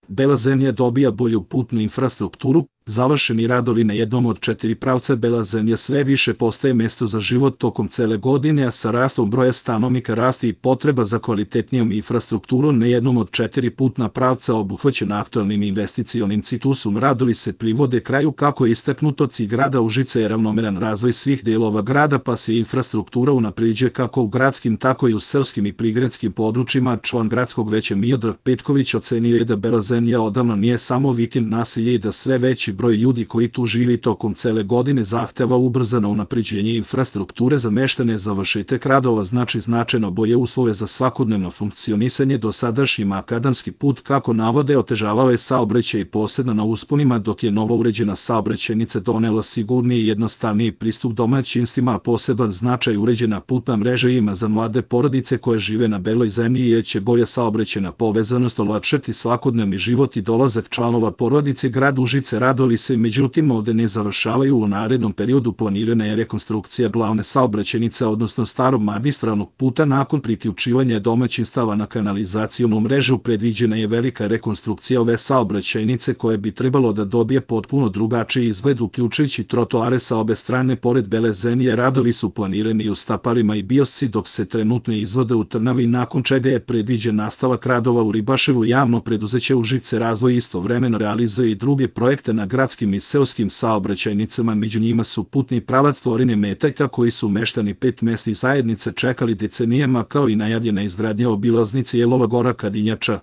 Bela Zemlja dobija bolju putnu infrastrukturu, završeni radovi na jednom od 4 pravca. Bela Zemlja sve više postaje mesto za život tokom cele godine, a sa rastom broja stanovnika raste i potreba za kvalitetnijom infrastrukturom na jednom od 4 putna pravca obuhvaćena aktualnim investicionim ciklusom. Radovi se privode kraju. Kako je istaknuto, cilj grada Užica je ravnomeran razvoj svih delova grada, pa se infrastruktura unapređuje kako u gradskim, tako i u seoskim i prigradskim područjima. Član gradskog veća Miodrag Petković ocenio je da Bela Zemlja odavno nije samo vikend naselje i da sve veći broj ljudi koji tu živi tokom cele godine zahteva ubrzano unapređenje infrastrukture za meštane. Završetak radova znači značajno bolje uslove za svakodnevno funkcionisanje. Dosadašnji makadamski put, kako navode, otežavao je saobraćaj posebno na usponima, dok je novo uređena saobraćajnica donela sigurniji i jednostavniji pristup domaćinstvima. Poseban značaj uređena putna mreža ima za mlade porodice koje žive na Beloj Zemlji, jer će bolja saobraćajna povezanost olakšati svakodnevni život i dolazak članova porodice. Grad Užice. Radovi se međutim ovde ne završavaju. U narednom periodu planirana je rekonstrukcija glavne saobraćajnice, odnosno starog magistralnog puta. Nakon priključivanja domaćinstava na kanalizacionu mrežu predviđena je velika rekonstrukcija ove saobraćajnice koja bi trebalo da dobije potpuno drugačiji izgled, uključujući trotoare sa obe strane. Pored Bele Zemlje radovi su planirani i u Staparima i Biosci, dok se trenutno izvode u Trnavi, nakon čega je predviđen nastavak radova u Ribaševu. Javno preduzeće Užice Razvoj istovremeno realizuje i druge projekte na gradskim i seoskim saobraćajnicama. Među njima su putni pravac Tvorine Metaljka, koji su meštani 5 mesnih zajednica čekali decenijama, kao i najavljena izgradnja obilaznice Jelova Gora Kadinjača.